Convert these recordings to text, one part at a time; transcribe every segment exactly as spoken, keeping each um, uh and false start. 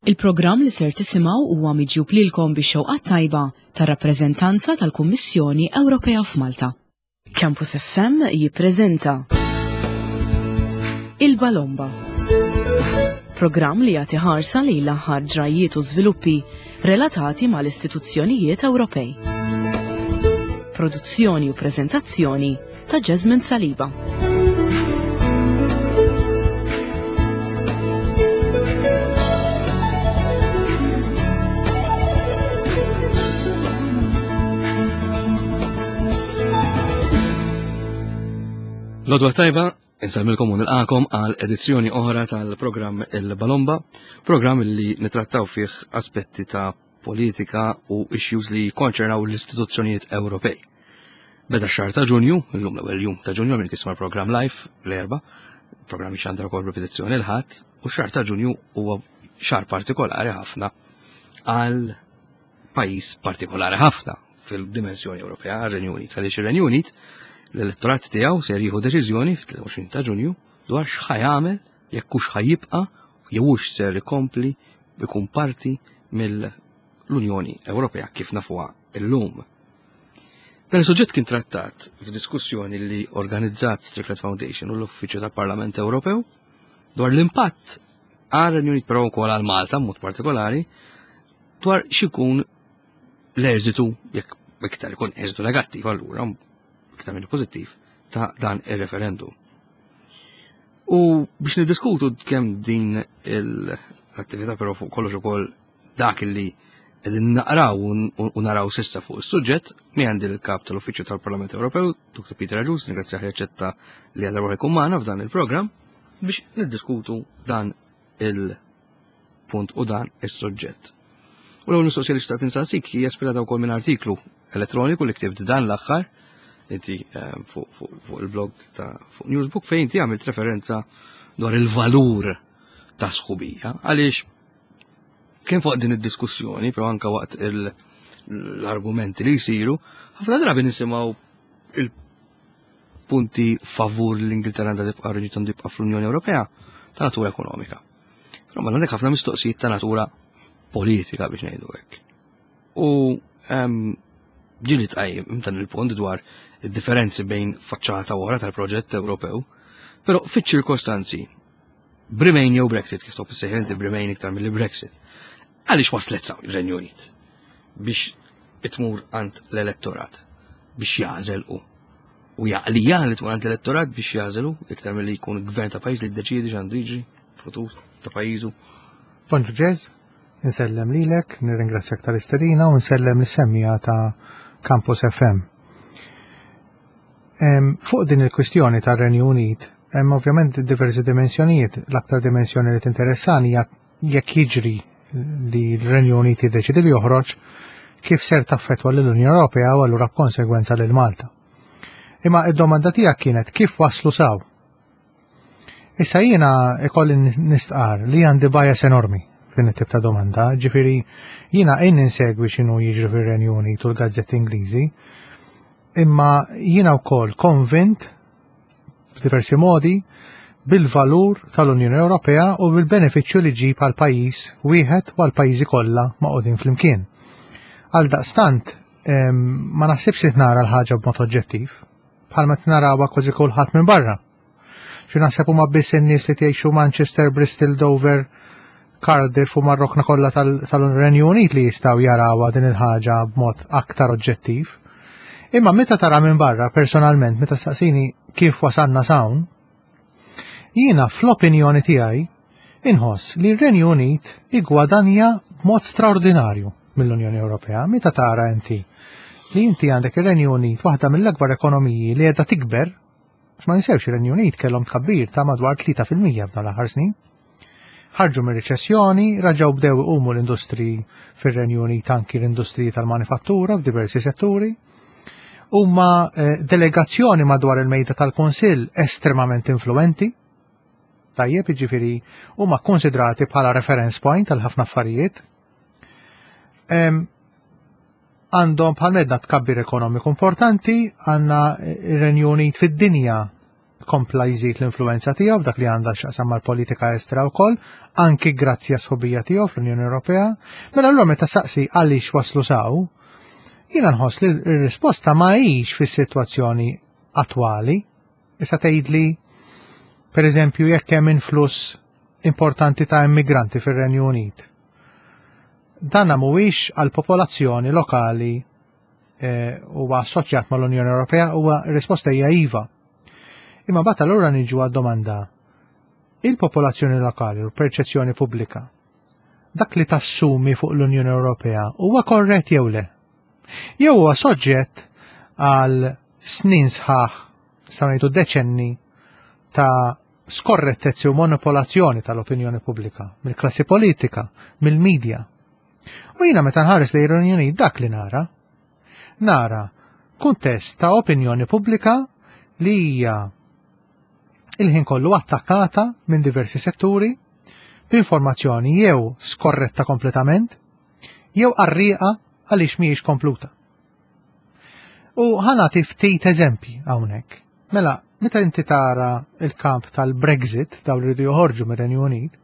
Il-programm li ser tisimgħu huwa miġjub lilkom bix-xewqa tajba tar-rappreżentanza tal-Kummissjoni Ewropea f'Malta. Campus F M jippreżenta Il-Balomba. Programm li jagħti ħarsa lejn l-aħħar ġrajiet u żviluppi relatati mal-istituzzjonijiet Ewropej. Produzzjoni u preżentazzjoni ta' Jasmine Saliba. L-għodwa t-tajba, insellmilkom u nilqagħkom għal edizzjoni oħra tal-programm Il-Balomba, programm li nitrattaw fih aspetti ta' politika u issues li konċernaw l-istituzzjonijiet Ewropej. Beda x-xahar ta' Ġunju, illum l-ewwel jum ta' Ġunju, minn tisma' program live l-Erbgħa, programm xandra kol repetizzjoni l-Ħadd, u x-xahar ta' Ġunju huwa xahar partikolari ħafna għal pajjiż partikolari ħafna fil-dimensjoni Ewropea, għar-Renju Unit. Għaliex ir-Renju Unit, l-elettorat tiegħu ser jieħu deċiżjoni fit-tlieta u għoxrin ta' Ġunju dwar x'ħa jagħmel, jekk hux ħa jibqa' jew hux ser ikompli ikun parti mill-Unjoni Ewropea kif nafuha illum. Dan is-suġġett kien trattat f'diskussjoni li organizzat Strickland Foundation u l-Uffiċċju tal-Parlament Ewropew dwar l-impatt għal Renju Unit, però wkoll għal Malta mod partikolari, dwar x'ikun l-eżitu, jekk iktar ikun eżitu negattiv allura iktar minn pożittiv, ta' dan ir-referendum. U biex niddiskutu kemm din l-attività, però fuq kollox ukoll dak li qegħdin naqraw u naraw s'issa fuq is-suġġett, mi għandi l-kap tal-Uffiċċju tal-Parlament Ewropew, Doktor Peter Agius, ningrazzjah li aċċetta li għadha jkun magħna f'dan il-programm biex niddiskutu dan il-punt u dan is-suġġett. U l-ewwel mistoqsija li xtaqt insaqsik hija ispirata wkoll minn artiklu elettroniku li ktibt dan l-aħħar inti eh, fuq il-blog ta' fuq Newsbook, fejn inti għamilt referenza dwar il-valur ta' sħubija, għaliex kien fuq din id-diskussjoni, però anka waqt l-argumenti li jsiru, ħafna drabi nisimgħu il-punti favur l-Ingilterra għandha tibqa', Renju għandu jibqa' fl-Unjoni Ewropea, ta' natura ekonomika. Però ma għandek ħafna mistoqsijiet ta' natura politika, biex ngħidu hekk. U ġieli tqajjem dan il-punt dwar id-differenzi bejn faċċata oħra tal-proġett Ewropew, però fiċ-ċirkostanzi Bremain jew Brexit, kif tħobb issejjaħ inti Bremain iktar mill Brexit. Għaliex waslet sa ir-Renju Unit biex itmur għand l-elettorat biex jagħżel u u jaqlija li tmur għand l-elettorat biex jagħżelu iktar milli jkun gvern ta' pajjiż li ddeċiedi x'għandu jiġri futur ta' pajjiżu? Bonġu Ġez, insellem lilek, nirringrazzjak tal-istedina u nsellem lis-semmiegħa ta' Campus F M. Fuq din il-kwistjoni tar-Renju Unit, hemm ovvjament diversi dimensjonijiet. L-aktar dimensjoni li tinteressani hija jekk jiġri li l-Renju Unit jiddeċidi li joħroġ, kif ser taffetwa l-Unjoni Ewropea u allura b'konsegwenza lil Malta. Imma id-domanda tiegħek kienet kif waslu s'hawn. Issa jiena ikolli nistqar li għandi bias enormi f'din it-tip ta' domanda, ġifieri jiena għin insegwi x'inhu jiġri fir-Renju Unit u l-gazzetti Ingliżi, imma jiena wkoll konvint b'diversi modi bil-valur tal-Unjoni Ewropea u bil-benefiċċju li ġib għal pajjiż wieħed u għal pajjiżi kollha magħqudin flimkien. Għal daqstant, ma naħsibx li nara l-ħaġa b'mod oġġettiv, bħalma narawha kważi kulħadd minn barra. Xi naħseb huma biss in-nies li tgħixu Manchester, Bristol, Dover, Cardiff u mar-rokna kollha tal-Renju Unit li jistgħu jarawha din il-ħaġa b'mod aktar oġġettiv. Imma meta tara minn barra, personalment, meta staqsini kif wasalna s'hawn, jiena fl-opinjoni tiegħi inħoss li r-Renju Unit igwadanja b'mod straordinarju mill-Unjoni Ewropea. Meta tara inti li inti għandek ir-Renju Unit, waħda mill-akbar ekonomiji li qiegħda tikber, għax ma ninsewx, ir-Renju Unit kellhom tkabbir ta' madwar tlieta fil-mija f'dan l-aħħar snin. Ħarġu mir riċessjoni, raġaw bdew iqumu l-industri fir-Renju Unit, anki l-industriji tal-manifattura f'diversi setturi. Huma eh, delegazzjoni madwar il-mejda tal-Kunsill estremament influenti. Tajjeb, jiġifieri huma konsidrati bħala reference point għal ħafna affarijiet. Għandhom bħal medna tkabbir ekonomiku importanti, għandna ir-Renju Unit fid-dinja kompla jżid l-influenza tiegħu f'dak li għandha x'taqsam mal-politika estra wkoll, anki grazzi għas-sħubija tiegħu fl-Unjoni Ewropea. Mela allura meta saqsi għaliex waslu s'hawn, jiena nħoss li r-risposta ma hix fis-sitwazzjoni attwali. Issa tgħidli, per eżempju, jekk hemm influss importanti ta' immigranti fir-Renju Unit. Dan mhuwiex għal popolazzjoni lokali eh, huwa assoċjat mal-Unjoni Ewropea, huwa risposta hija iva. Imma mbagħad allura niġu għad-domanda: il-popolazzjoni lokali u l-perċezzjoni pubblika, dak li tassumi fuq l-Unjoni Ewropea huwa korrett jew le? Jew huwa soġġett għal snin sħaħ, sa ngħidu deċenni, ta' skorrettezzi u manipolazzjoni tal-opinjoni pubblika, mill-klassi politika, mill-medja? U jiena meta nħares lejn ir-Renju dak li nara. Nara kuntest ta' opinjoni pubblika li hija il-ħin kollu attakkata minn diversi setturi b'informazzjoni jew skorretta kompletament jew qarrieqa għaliex mhijiex kompluta. U ħa nagħti ftit eżempji hawnhekk. Mela, meta inti tara il-kamp tal-Brexit, dawn li jridu joħorġu mir-Renju Unit,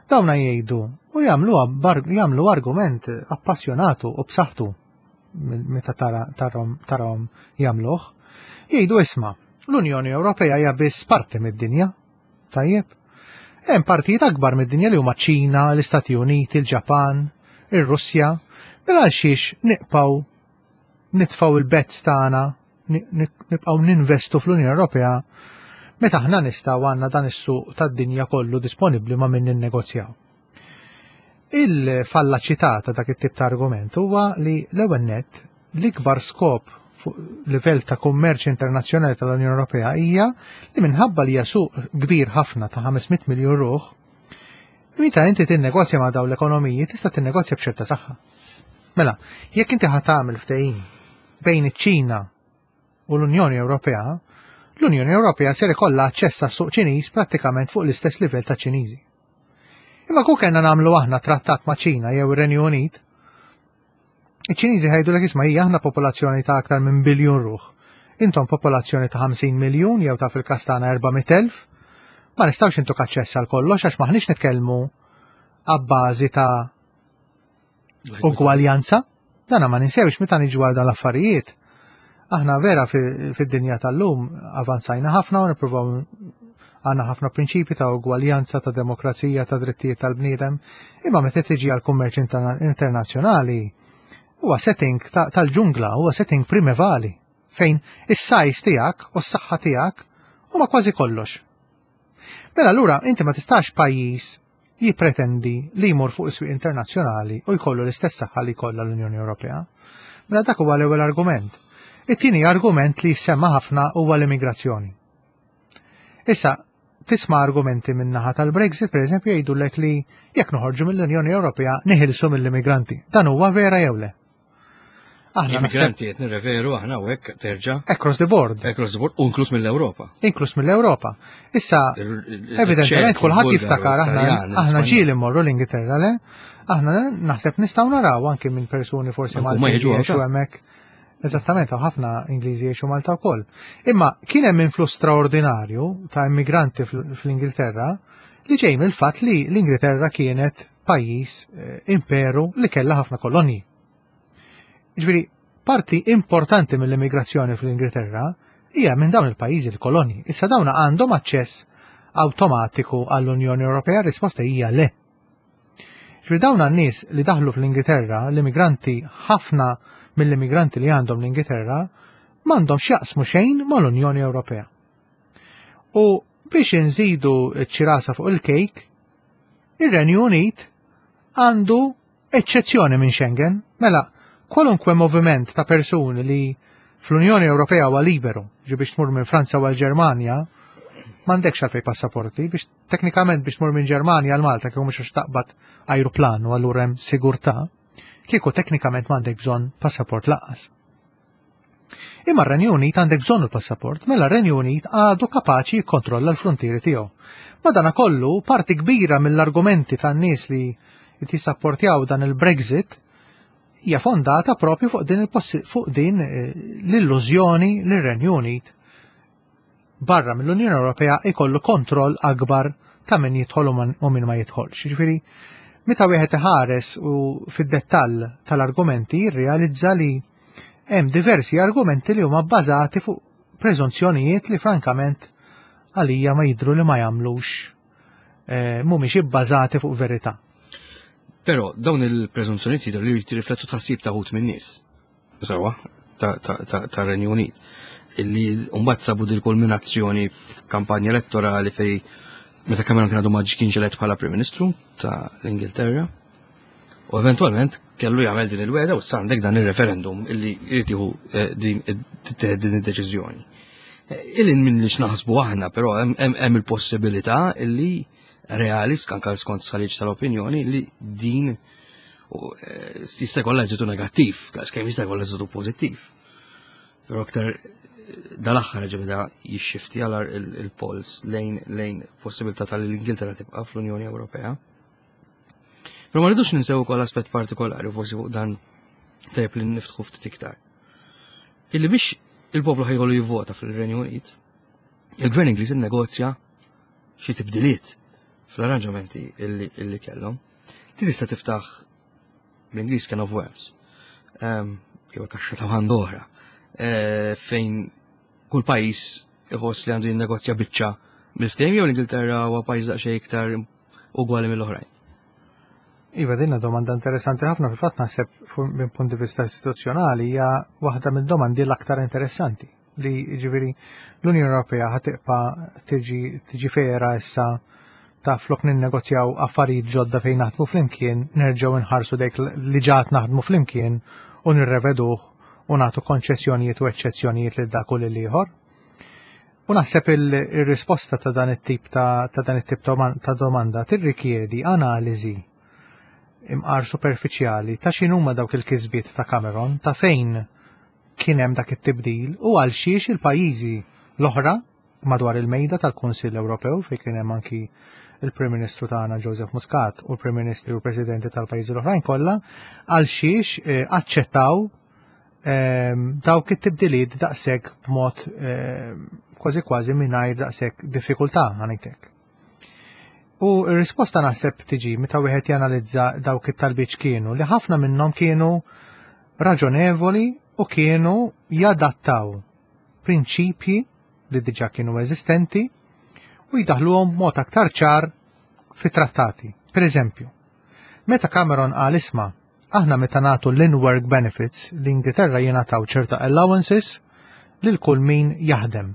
dawna jgħidu u jagħmlu jagħmlu argument appassjonatu u b'saħħtu meta tara tarahom tarahom jagħmluh. Jgħidu: "Isma', l-Unjoni Ewropea hija biss parti mid-dinja." Tajjeb. Hemm partijiet akbar mid-dinja li huma Ċina, l-Istati Uniti, il-Ġapan, ir-Russja. Mela għal xiex nibqgħu nitfgħu il-bets tagħna, nibqgħu ninvestu fl-Unjoni Ewropea meta aħna nistgħu għandna dan is-suq tad-dinja kollu disponibbli ma' min ninnegozjaw? Il-fallaċità ta' dak it-tip ta' argument huwa li l-ewwel nett l-ikbar skop fuq livell ta' kummerċ internazzjonali tal-Unjoni Ewropea hija li minħabba li hija suq kbir ħafna ta' ħames mitt miljun ruħ, meta inti tinnegozja ma' dawn l-ekonomiji tista' tinnegozja b'ċerta saħħa. Mela, jekk inti ħa tagħmel ftehim bejn iċ-Ċina u l-Unjoni Ewropea, l-Unjoni Ewropea ser ikollha aċċess għas-suq Ċiniż prattikament fuq l-istess livell ta' Ċiniżi. Imma kieku kellna nagħmlu aħna trattat ma' Ċina jew ir-Renju Unit, iċ-Ċiniżi ħa jgħidulek: "Isma' hija aħna popolazzjoni ta' aktar minn biljun ruħ. Intom popolazzjoni ta' ħamsin miljun jew ta' fil-każ tagħna erba' mitt elf, ma nistgħux intuk aċċess għal kollox għax maħniex nitkellmu abbażi ta' ugwaljanza." Dana ma ninsewx meta niġu għal dan l-affarijiet. Aħna vera fid-dinja tal-lum avanzajna ħafna u nippruvaw għandna ħafna prinċipi ta' ugwaljanza, ta' demokrazija, ta' drittijiet tal-bniedem, imma meta tiġi għal kummerċ internazzjonali huwa setting tal-ġungla, huwa setting primevali fejn is-size tiegħek u s-saħħa tiegħek huma kważi kollox. Mela allura inti ma tistax pajjiż jippretendi li jmur fuq is-swieq internazzjonali u jkollu l-istess saħħa li jkollha l-Unjoni Ewropea. Mela dak huwa l-ewwel argument. It-tieni argument li semma ħafna huwa l-immigrazzjoni. Issa, tisma' argumenti min-naħa tal-Brexit, per eżempju, jgħidulek li jekk noħorġu mill-Unjoni Ewropea neħilsu mill-immigranti. Dan huwa vera jew le? Aħna immigranti qed nirreferu aħna hawnhekk terġa' Across the board. Across the board, u inkluż mill-Ewropa. Inkluż mill-Ewropa. Issa, evidentement kulħadd jiftakar, aħna aħna ġieli mmorru l-Ingilterra, le? Aħna naħseb nistgħu naraw anke minn persuni forsi Maltin jgħixu hemmhekk. Eżattament, hawn ħafna Ingliżi jgħixu Malta wkoll. Imma kien hemm influss straordinarju ta' immigranti fl-Ingilterra li ġej mill-fatt li l-Ingilterra kienet pajjiż eh, imperu li kellha ħafna kolonji. Ġifieri, parti importanti mill-immigrazzjoni fl-Ingilterra hija minn dawn il-pajjiżi l-kolonji. Issa dawn għandhom aċċess awtomatiku għall-Unjoni Ewropea? Risposta hija le. Ġifieri dawn n-nies li daħlu fl-Ingilterra, l-immigranti, ħafna mill-immigranti li għandhom l-Ingilterra m'għandhom x'jaqsmu xejn mal-Unjoni Ewropea. U biex inżidu ċ-ċirasa fuq il-kejk, ir-Renju Unit għandu eċċezzjoni minn Schengen. Mela, kwalunkwe moviment ta' persuni li fl-Unjoni Ewropea huwa liberu, ġi biex tmur minn Franza u għal-Ġermanja, m'għandekx għalfej passaporti, biex teknikament biex tmur minn Ġermanja għal Malta, kieku mhux għax taqbad ajruplan u allura hemm sigurtà, kieku teknikament m'għandek bżonn passaport lanqas. Imma r-Renju Unit għandek bżonn il-passaport, mela r-Renju Unit għadu kapaċi jikkontrolla l-frontieri tiegħu. Madana kollu, parti kbira mill-argumenti tan-nies li jissapportjaw dan il-Brexit hija fondata propju fuq din fuq din eh, l-illużjoni li r-Renju Unit barra mill-Unjoni Ewropea ikollu kontroll akbar ta' min jidħol u min ma jidħolx. Jiġifieri, meta wieħed iħares u fid-dettall tal-argumenti jirrealizza li hemm diversi argumenti li huma bbażati fuq preżunzjonijiet li frankament għalija ma jidru li ma jagħmlux eh, mhumiex ibbażati fuq verità. Però dawn il-preżunzjonijiet jidhru li jirriflettu tħassib ta' wħud min-nies. Sewwa, ta' Renju Unit. Illi mbagħad sabu dil kulminazzjoni f'kampanja elettorali fej meta Cameron kien għadu ma kienx elett bħala Prim Ministru ta' l-Ingilterra. U eventualment kellu jagħmel din il-wegħda u għandek dan il-referendum illi jrid jieħu eh, din din id-deċiżjoni. Eh, Illi minn li x'naħsbu aħna, però hemm il-possibilità illi reali, anka skont stħarriġ tal-opinjoni, li din eh, jista' jkollha eżitu negattiv, kemm jista' jkollha eżitu pożittiv. Però aktar dal-aħħar ġebda jixxifti għal il-polls lejn lejn possibilità tal-Ingilterra tibqa' fl-Unjoni Ewropea. Però ma rridux ninsew ukoll aspett partikolari, forsi fuq dan tajjeb li niftħu ftit iktar. Illi biex il-poplu ħa jkollu jivvota fil-Renju Unit, il-Gvern Ingliż innegozja xi tibdiliet fl-arranġamenti illi, illi kellhom. Ti tista' tiftaħ bl-Ingliż can of worms. Um, Kif kaxxa ta' Pandora. Uh, fejn kull pajjiż iħoss li għandu jinnegozja biċċa mill-ftehim jew l-Ingilterra huwa pajjiż daqsxejn iktar ugwali mill-oħrajn. Iva, dinna domanda interessanti ħafna. Fil-fatt naħseb minn punt di vista istituzzjonali hija waħda mid-domandi l-aktar interessanti li ġifieri l-Unjoni Ewropea ħa tibqa' tiġi tiġi fera issa ta' flok ninnegozjaw affarijiet ġodda fejn naħdmu flimkien, nerġgħu nħarsu dik li ġat naħdmu flimkien u nirreveduh u nagħtu konċessjonijiet u eċċezzjonijiet lil dak u lil ieħor. U naħseb il-risposta ta' dan it-tip ta' ta' dan it-tip ta' domanda tirrikjedi analiżi imqar superfiċjali ta' x'inhuma dawk il-kisbiet ta' Cameron, ta' fejn kien hemm dak it-tibdil u għal xiex il-pajjiżi l-oħra madwar il-mejda tal-Kunsill Ewropew, fejn kien hemm anki il-Prim Ministru tagħna Joseph Muscat u l-Prim Ministri u l-Presidenti tal-pajjiżi l-oħrajn kollha, għal xiex eh, aċċettaw ehm, dawk it-tibdiliet daqshekk b'mod ehm, kważi kważi mingħajr daqshekk diffikultà, ħa ngħidlek. U r-risposta naħseb tiġi meta wieħed janalizza dawk it-talbiet kienu li ħafna minnhom kienu raġonevoli u kienu jadattaw prinċipji li diġà kienu eżistenti u jdaħluhom b'mod aktar ċar fit-trattati. Per eżempju, meta Cameron qal, "Isma', aħna meta nagħtu l-in-work benefits, l-Ingilterra jingħataw ċerta allowances lil kull min jaħdem.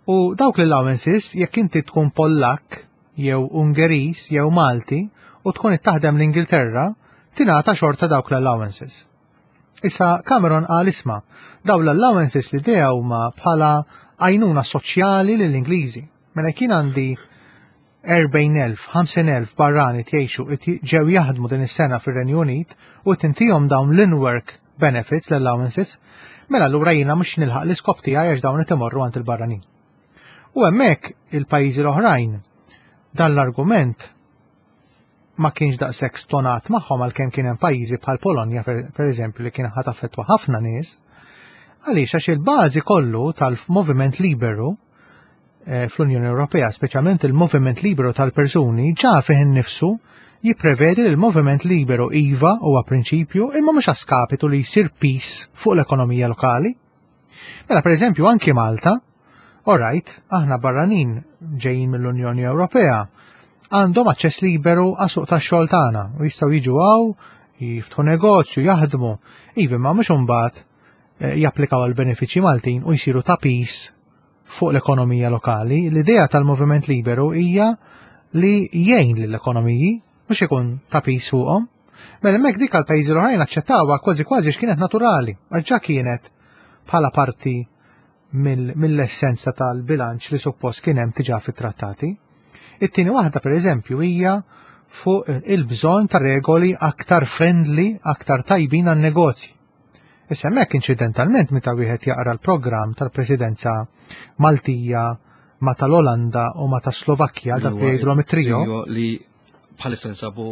U dawk l-allowances, jekk inti tkun Pollak jew Ungeris jew Malti u tkun taħdem l-Ingilterra, tingħata xorta dawk l-allowances." Issa Cameron qal, "Isma', daw l-allowances li dejja huma bħala għajnuna soċjali lill-Ingliżi. Mela kien għandi erbgħin elf, ħamsin elf barrani tgħixu ġew jaħdmu din is-sena fir-Renju Unit u tintihom dawn l-in-work benefits, l-allowances, mela allura jiena mhux nilħaq l-iskop tiegħi għax dawn qed imorru għand il-barranin." U hemmhekk il-pajjiżi l-oħrajn dan l-argument ma kienx daqshekk stonat magħhom, għalkemm kien hemm pajjiżi bħal Polonja, per eżempju, li kien ħa taffettwa ħafna nies. Għaliex? Għax il-bażi kollu tal-moviment liberu eh, fl-Unjoni Ewropea, speċjalment il-moviment liberu tal-persuni, ġa fih innifsu jipprevedi li l-moviment liberu iva huwa prinċipju, imma mhux a skapitu li jsir piż fuq l-ekonomija lokali. Mela per eżempju anki Malta, alright, aħna barranin ġejjin mill-Unjoni Ewropea, għandhom aċċess liberu għas-suq tax-xogħol tagħna u jistgħu jiġu hawn, jiftħu negozju, jaħdmu, iva, ma mhux imbagħad eh, japplikaw għal benefiċċji Maltin u jsiru ta' piż fuq l-ekonomija lokali. L-idea tal-moviment liberu hija li jgħin lill-ekonomiji, mhux ikun ta' piż fuqhom. Mela hemmhekk dik għal pajjiżi l-oħrajn aċċettawha kważi kważi x'kienet naturali, għax ġa kienet bħala parti mill-essenza tal-bilanċ li suppost kien hemm diġà fit-trattati. It-tieni waħda, per eżempju, hija fuq il-bżonn ta' regoli aktar friendly, aktar tajbin għan-negozji. Issa hemmhekk inċidentalment meta wieħed jaqra l-programm tal-Presidenza Maltija ma tal-Olanda u ma ta' Slovakkja, dak li jgħidulhom it-trio, li bħalissa nsabu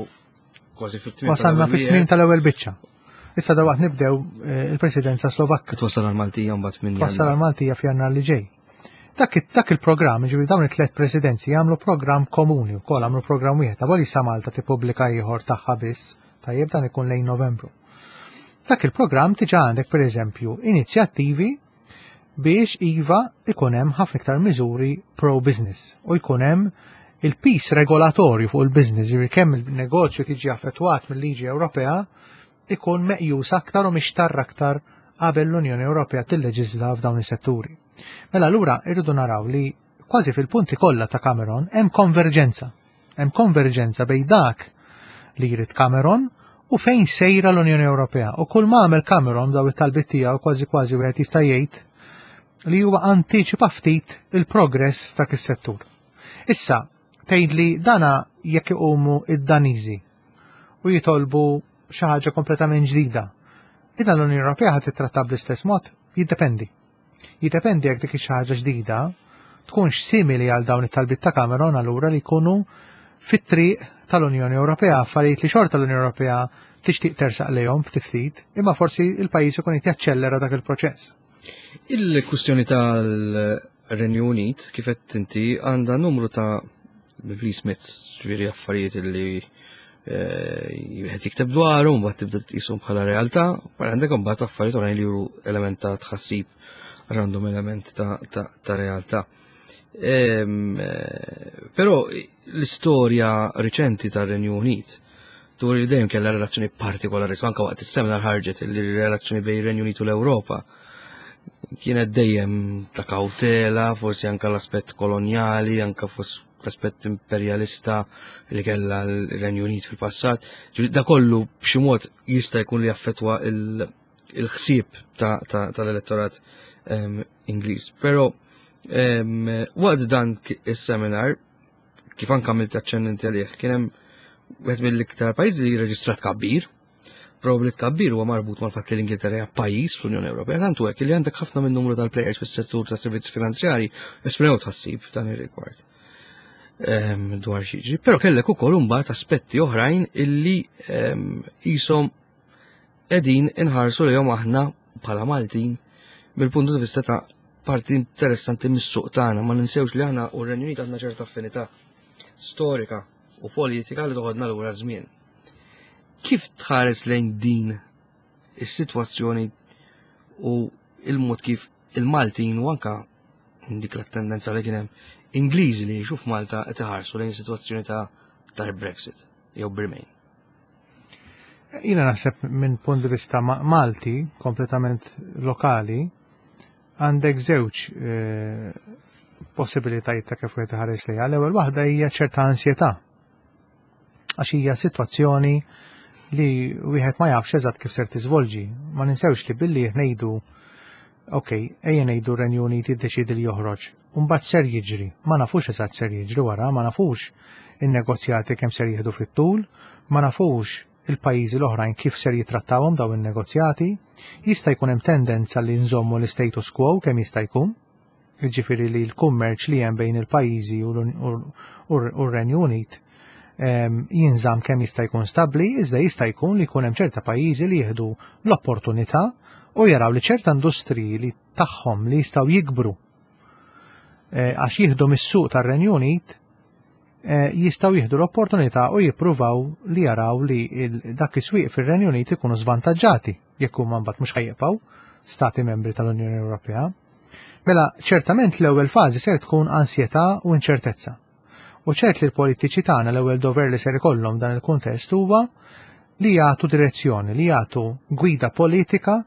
kważi fit-tmiem. Wasalna fit-tmiem tal-ewwel biċċa. Issa da waqt nibdew eh, il-Presidenza Slovakka. Twassal għal-Maltija mbagħad minn Twassal għal-Maltija f'Jannar li ġej. Dak, dak il-programm, ġifieri dawn it-tliet presidenzi jagħmlu programm komuni wkoll, għamlu programm wieħed, avolja issa Malta tippubblika ieħor tagħha biss, tajjeb, dan ikun lejn Novembru. Dak il-programm diġà għandek, pereżempju, inizjattivi biex iva ikun hemm ħafna iktar miżuri pro-business u jkun hemm il-piż regolatorju fuq il-business, ġifieri kemm il-negozju tiġi affettwat mill-liġi Ewropea ikun meqjus aktar u mixtarr aktar qabel l-Unjoni Ewropea tilleġisla f'dawn is-setturi. Mela allura irridu naraw li kważi fil-punti kollha ta' Cameron hemm konverġenza. Hemm konverġenza bejn dak li jrid Cameron u fejn sejra l-Unjoni Ewropea. U kull ma għamel Cameron daw it-talbiet tiegħu, kważi kważi wieħed jista' jgħid li huwa antiċipa ftit il-progress f'dak is-settur. Issa, tgħid li dana jekk iqumu id-Daniżi u jitolbu xi ħaġa kompletament ġdida. Idan l-Unjoni Ewropea ħa titratta bl-istess mod? Jiddependi. Jiddependi jekk dik xi ħaġa ġdida tkunx simili għal dawn it-talbiet ta' Cameron, allura li jkunu fit-triq tal-Unjoni Ewropea, affarijiet li xorta l-Unjoni Ewropea tixtieq tersaq lejhom ftit ftit, imma forsi il-pajjiż ikun qed jaċċellera dak il-proċess. Il-kwistjoni tal-Renju Unit, kif qed inti, għandha numru ta' myths, ġifieri affarijiet li wieħed jikteb dwaru, mbagħad tibda tqishom bħala realtà, wara għandek mbagħad affarijiet oħrajn li juru element ta' tħassib għax għandhom element ta', ta, ta realtà. Ehm, eh, Però l-istorja riċenti tar-Renju Unit dwar li dejjem kellha relazzjoni partikolari, anke waqt is-seminar ħarġet li relazzjoni bejn ir-Renju Unit u l-Ewropa kienet dejjem ta' kautela, forsi anke l-aspett kolonjali, anke forsi l-aspett imperjalista li kellha l-Renju Unit fil-passat. Ġifieri da kollu b'xi mod jista' jkun li jaffettwa il- il-ħsieb tal-elettorat em, Ingliż. Però em, waqt dan ki- is-seminar, kif anke għamilt aċċenn inti għalih, kien hemm wieħed mill-iktar pajjiżi li reġistrat tkabbir. Probabbli tkabbir huwa marbut mal-fatt li l-Ingilterra hija pajjiż fl-Unjoni Ewropea, tantu hekk li għandek ħafna minn numru tal-players fis-settur tas servizzi finanzjari esprimew tħassib dan ir-rigward Em, dwar x'jiġri. Però kellek ukoll imbagħad aspetti oħrajn illi em, qishom qegħdin inħarsu lejhom aħna bħala Maltin mill-punt di vista ta' parti interessanti mis-suq tagħna. Ma ninsewx li aħna u r-Renju Unit għandna ċerta affinità storika u politika li toħodna lura żmien. Kif tħares lejn din is-sitwazzjoni u il-mod kif il-Maltin u anka dik l-tendenza li kien hemm Ingliżi li jgħixu f'Malta qed iħarsu lejn sitwazzjoni ta' ta' Brexit jew Bremain? Jiena naħseb minn punt di vista ma- Malti, kompletament lokali, għandek żewġ eh, possibilitajiet ta' kif wieħed iħares lejha. L-ewwel waħda hija ċerta ansjetà. Għax hija sitwazzjoni li wieħed ma jafx eżatt kif ser tiżvolġi. Ma ninsewx li billi ngħidu, ok, ejja ngħidu Renju Unit jiddeċidi li joħroġ. Mbagħad ser jiġri. Ma nafux eżatt ser jiġri wara, ma nafux in-negozjati kemm ser jieħdu fit-tul, ma nafux il-pajjiżi l-oħrajn kif ser jitrattawhom daw in-negozjati. Jista' jkun hemm tendenza li nżommu l-status quo kemm jista' jkun. Jiġifieri li l-kummerċ li hemm bejn il-pajjiżi u l-Renju Unit jinżamm kemm jista' jkun stabbli, iżda jista' jkun li jkun hemm ċerta pajjiżi li jieħdu l-opportunità u jaraw li ċerta industriji li tagħhom li jistgħu jikbru eh, għax jieħdu mis-suq tar-Renju Unit eh, jistgħu jieħdu l-opportunità u jippruvaw li jaraw li dak is-swieq fir-Renju Unit ikunu żvantaġġati jekk huma mbagħad mhux ħa jibqgħu stati membri tal-Unjoni Ewropea. Mela, ċertament l-ewwel fażi ser tkun ansjetà u inċertezza. U ċert li l-politiċi tagħna l-ewwel dover li ser ikollhom dan il-kuntest huwa li jagħtu direzzjoni, li jagħtu gwida politika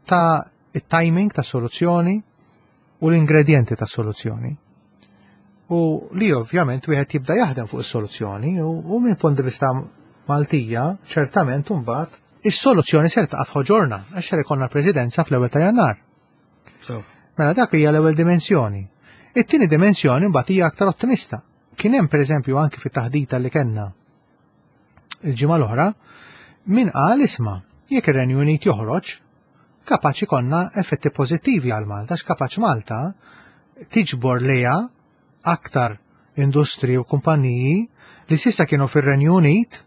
ta' it-timing ta' soluzzjoni u l-ingredienti ta' soluzzjoni. U li ovvjament wieħed jibda jaħdem fuq is-soluzzjoni u, u minn punt di vista Maltija, ċertament imbagħad is-soluzzjoni ser taqa' f'ħoġorna għax ser ikollna l-Presidenza fl-ewwel ta' Jannar. So. Mela dak hija l-ewwel dimensjoni. It-tieni dimensjoni mbagħad hija aktar ottimista. Kien hemm, pereżempju, anki fit-taħdita li kellna il-ġimgħa l-oħra min qal, "Isma', jekk ir-Renju Unit joħroġ, kapaċi konna effetti pożittivi għal Malta, x'kapaċi Malta tiġbor lejha aktar industri u kumpaniji li s'issa kienu fir-Renju Unit,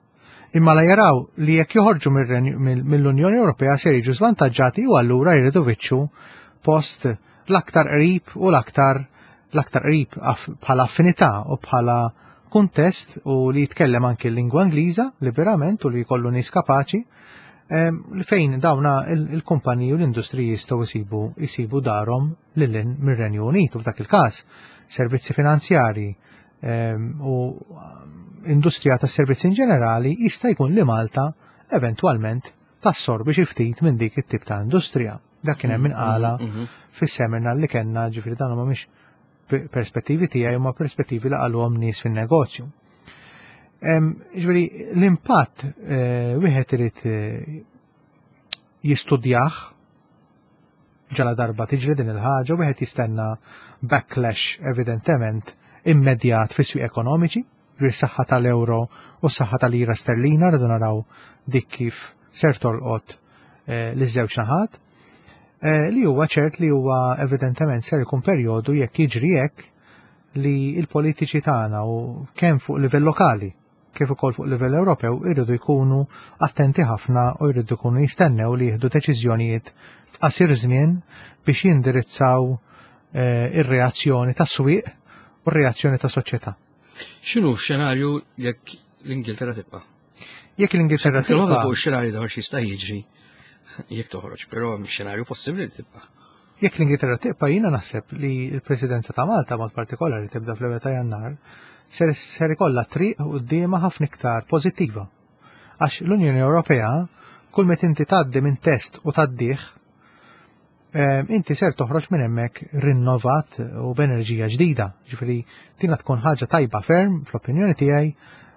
imma la jaraw li jekk joħorġu mill-Unjoni Ewropea ser jiġu żvantaġġati u allura jridu jfittxu post l-aktar qrib u l-aktar l-aktar qrib bħala affinità u bħala kuntest u li jitkellem anki l-lingwa Ingliża liberament u li jkollu nies kapaċi li fejn dawna il-kumpaniji u l-industriji jistgħu jsibu jsibu darhom lil hinn mir-Renju Unit u f'dak il-każ servizzi finanzjari u industrija tas servizzi in ġenerali jista' jkun li Malta eventwalment tassorbi xi ftit minn dik it-tip ta' industrija. Dak kien hemm min qala mhm, mhm. fis-seminar li kellna, ġifieri dan huma mhix perspettivi tiegħi, huma perspettivi li qaluhom nies fin-negozju. Ġifieri l-impatt eh, wieħed irid eh, jistudjah ġala darba tiġri din il-ħaġa, wieħed jistenna backlash evidentement immedjat fis-swieq ekonomiċi, ġifieri saħħa tal-euro u s-saħħa tal-lira sterlina, rridu naraw dik kif ser tolqot eh, l-żewġ naħat. Li huwa ċert li huwa evidentement ser ikun perjodu, jekk jiġri hekk, li l-politiċi tagħna u kemm fuq livell lokali kif ukoll fuq livell Ewropew irridu jkunu attenti ħafna u jridu jkunu jistennew li jieħdu deċiżjonijiet f'qasir żmien biex jindirizzaw eh, ir-reazzjoni tas-swieq u r-reazzjoni ta' soċjetà. X'inhu x-xenarju jekk l-Ingilterra tibqa'? Jekk l-Ingilterra tibqa'. Fuq ix-xenarju dawn x'jista' jiġri jekk toħroġ, però xenarju possibbli li tibqa'. Jekk l-Ingilterra tibqa', jiena naħseb li l-Presidenza ta' Malta mod partikolari tibda fl-ewwel ta' Jannar ser, ser ikollha triq quddiemha ħafna iktar pożittiva. Għax l-Unjoni Ewropea, kull meta inti tgħaddi minn test u tgħaddih, inti ser toħroġ minn hemmhekk rinnovat u b'enerġija ġdida. Ġifieri tina tkun ħaġa tajba ferm fl-opinjoni tiegħi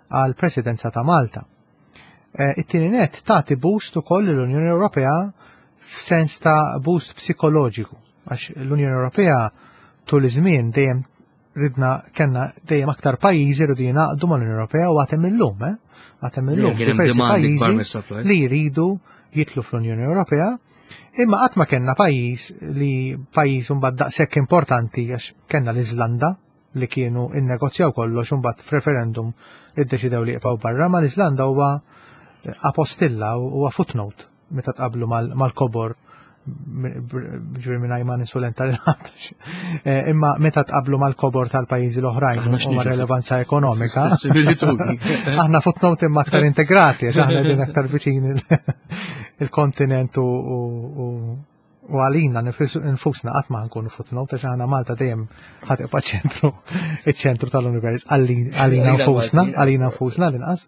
għal Presidenza ta' Malta. It-tieni net, tagħti boost ukoll l-Unjoni Ewropea f'sens ta' boost psikoloġiku, għax l-Unjoni Ewropea tul iż-żmien dejjem ridna kellna dejjem aktar pajjiżi rridu jingħaqdu mal-Unjoni Ewropea u għad hemm illum, eh? Għad hemm illum diversi pajjiżi li jridu jidħlu fl-Unjoni Ewropea, imma qatt ma kellna pajjiż li pajjiż imbagħad daqshekk importanti, għax kellna l-Iżlanda li kienu innegozjaw kollox, imbagħad f'referendum iddeċidew li jibqgħu barra, ma l-Iżlanda huwa apostilla, huwa footnote meta tqablu mal-kobor, ġifieri minn ma ninsulenta l eh, imma meta tqablu mal-kobor tal-pajjiżi l-oħrajn u ma' relevanza ekonomika. Aħna footnote imma aktar integrati, għax aħna din aktar viċin il-kontinent u u għalina nfusna qatt ma nkunu footnote, għax aħna Malta dejjem ħa tibqa' ċentru iċ-ċentru tal-univers għalina nfusna, għalina nfusna l-inqas.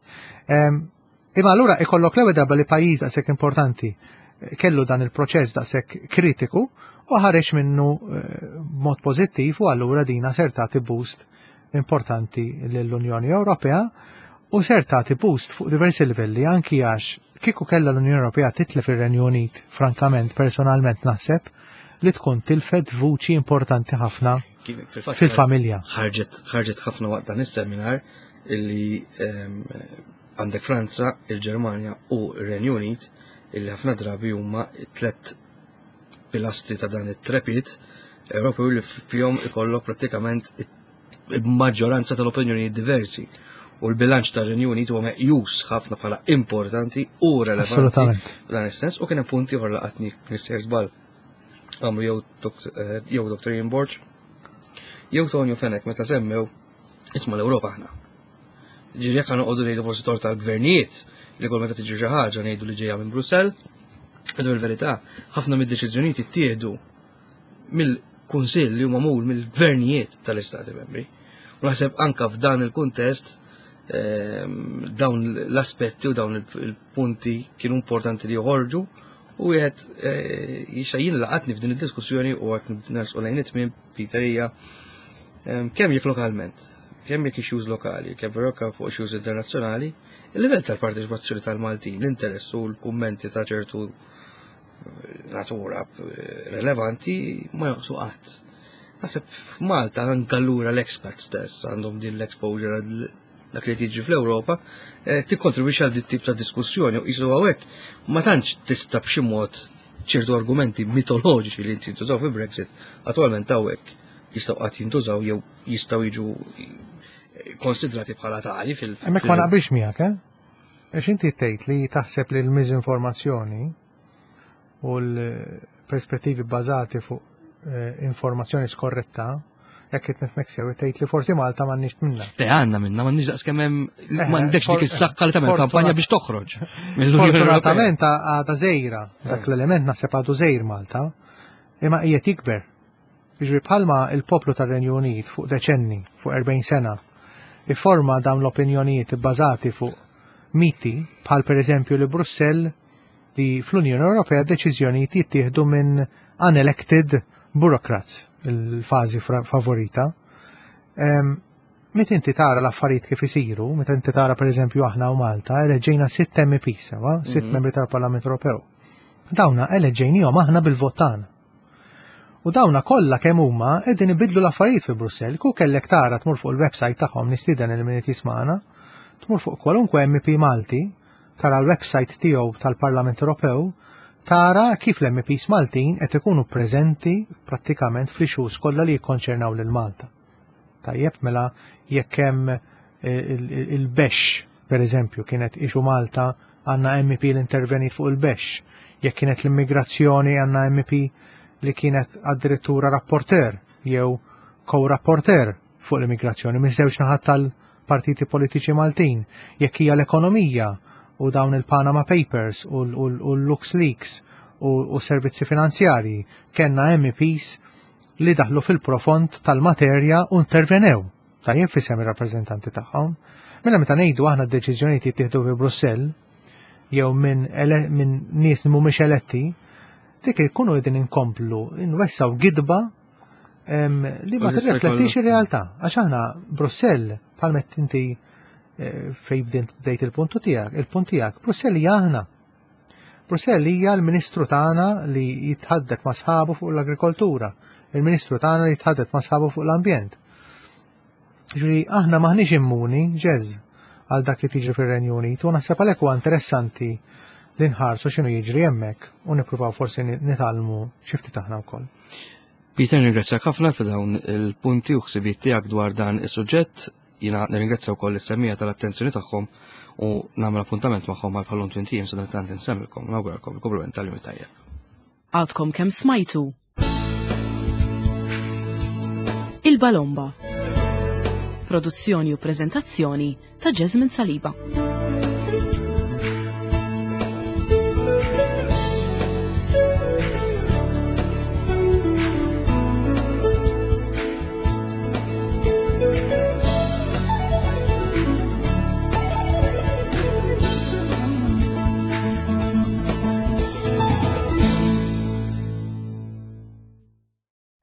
Imma allura ikollok l-ewwel darba li pajjiż daqshekk importanti kellu dan il-proċess daqshekk kritiku u ħareġ minnu eh, mod pożittiv u allura dina ser tagħti boost importanti lill-Unjoni Ewropea u ser tagħti boost fuq diversi livelli, anki għax kieku kellha l-Unjoni Ewropea titlef ir-Renju Unit, frankament, personalment naħseb li tkun tilfet vuċi importanti ħafna fil-familja. Ħarġet ħarġet ħafna waqt dan is-seminar illi ehm, għandek Franza, il-Ġermanja u r-Renju Unit, illi ħafna drabi huma tlet pilastri ta' dan it-trepid Ewropew li fihom ikollok prattikament il-maġġoranza tal-opinjoni diversi. U l-bilanċ tar-Renju Unit huwa meqjus ħafna bħala importanti u relevanti Assolutament. f'dan is-sens, u kien hemm punti oħra laqatni Mister Żball. Għamlu jew eh, jew Doctor Ian Borg jew Tonio Fenech meta semmew isma' l-Ewropa aħna. Ġifieri jekk noqogħdu ngħidu forsi tort tal-gvernijiet li kull meta tiġi xi ħaġa ngħidu li ġejja minn Brussell, iżda fil-verità ħafna mid-deċiżjonijiet ittieħdu mill-Kunsill li huma magħmul mill-gvernijiet tal-Istati Membri. U naħseb anka f'dan il-kuntest ehm, dawn l-aspetti u dawn il-punti kienu importanti li joħorġu u wieħed eh, jixa jien laqatni f'din id-diskussjoni u għat nersqu lejn it-tmiem, Peter, hija ehm, kemm jekk lokalment, kemm jekk issues lokali, kemm però fuq issues internazzjonali, il-livell tal-parteċipazzjoni tal-Maltin, l-interess u l-kummenti ta' ċertu natura relevanti ma jonqsu qatt. Naħseb f'Malta anke allura l-expats stess għandhom din l-exposure għal dak li tiġi fl-Ewropa, eh, tikkontribwixxi għal dit tip ta' diskussjoni u qisu hawnhekk ma tantx tista' b'xi mod ċertu argumenti mitoloġiċi li jintużaw fi Brexit attualment hawnhekk jistgħu qatt jintużaw jew jistgħu jiġu konsidrati bħala tali fil- Hemmhekk ma naqbilx miegħek, eh? Għax inti tgħid li taħseb li l-miżinformazzjoni u l-perspettivi bbażati fuq eh, informazzjoni skorretta, jekk qed nifhmek sew, tgħid li forsi Malta m'għandniex minnha. Le, għandna minnha, m'għandniex daqs kemm hemm, Eh, m'għandekx dik for- is-saqqa li tagħmel fortuna- kampanja biex toħroġ mill-Unjoni Ewropea. Fortunatament għadha żgħira, dak l-element naħseb għadu żgħir Malta, imma qiegħed jikber. Jiġri bħalma il-poplu tar-Renju Unit fuq deċenni, fuq erbgħin sena, ifforma dawn l-opinjonijiet bbażati fuq miti, bħal per eżempju li Brussell, li fl-Unjoni Ewropea deċiżjonijiet jittieħdu minn unelected bureaucrats, il-fażi fra- favorita. Em, Meta inti tara l-affarijiet kif isiru, meta inti tara per eżempju aħna u Malta, eleġġejna sitt M P sewa, sitt Mhm. membri tal-Parlament Ewropew. Dawna eleġġejnihom aħna bil-vot tagħna. U dawna kollha kemm huma qegħdin ibidlu l-affarijiet fi Brussell. Ku kellek tara tmur fuq il-website tagħhom, nistieden il min jismana, tmur fuq kwalunkwe M P Malti, tara l-website tiegħu tal-Parlament Ewropew, tara kif l-M Ps Maltin qed ikunu preżenti prattikament fl-issues kollha li jikkonċernaw lil Malta. Tajjeb, mela jekk hemm eh, il- il- il-bexx, per eżempju, kienet issue Malta, għandna M P li intervenit fuq il-bexx. Jekk kienet l-immigrazzjoni, għandna M P li kienet addirittura rapporteur jew co-rapporteur fuq l-immigrazzjoni miż-żewġ naħat tal-partiti politiċi Maltin. Jekk hija l-ekonomija u dawn il-Panama Papers u l- u l- u l-Lux Leaks u, u servizzi finanzjarji, kellna M Ps li daħlu fil-profond tal-materja u intervenew. Tajjeb, fisem ir-rappreżentanti tagħhom. Mela meta ngħidu aħna d-deċiżjonijiet jittieħdu fi Brussell jew minn ele- minn nies li mhumiex eletti, dik ikunu qegħdin inkomplu nwessaw gidba em, li ma U jista' tirriflettix jkollu- ir-realtà. Għax aħna Brussell, bħalma inti eh, fej bdejt il-puntu tiegħek, il-punt tiegħek, Brussell hija aħna. Brussell hija l-Ministru tagħna li jitħaddet ma' sħabu fuq l-agrikoltura, il-Ministru tagħna li jitħaddet ma' sħabu fuq l-ambjent. Ġifieri aħna maħniex immuni ġeż għal dak li tiġri fir-Renju Unit u naħseb għalhekk huwa interessanti li nħarsu x'inhu jiġri hemmhekk u nippruvaw forsi nitgħallmu xi ftit aħna wkoll. Peter, nirringrazzjak ħafna ta' dawn il-punti u ħsibiet tiegħek dwar dan is-suġġett. Jiena nirringrazzja wkoll is-semmiegħa tal-attenzjoni tagħhom u nagħmel appuntament magħhom għal bħalhom tmint ijiem. Sadanittant insellmilkom, nawguralkom il-kumplament tal-jum tajjeb. Għadkom kemm smajtu Il-Balomba. Produzzjoni u prezentazzjoni ta' Jasmine Saliba.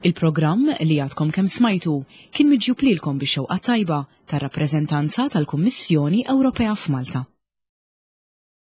Il-programm li għadkom kemm smajtu kien miġjub lilkom bix-xewqa tajba tar-rappreżentanza tal-Kummissjoni Ewropea f'Malta.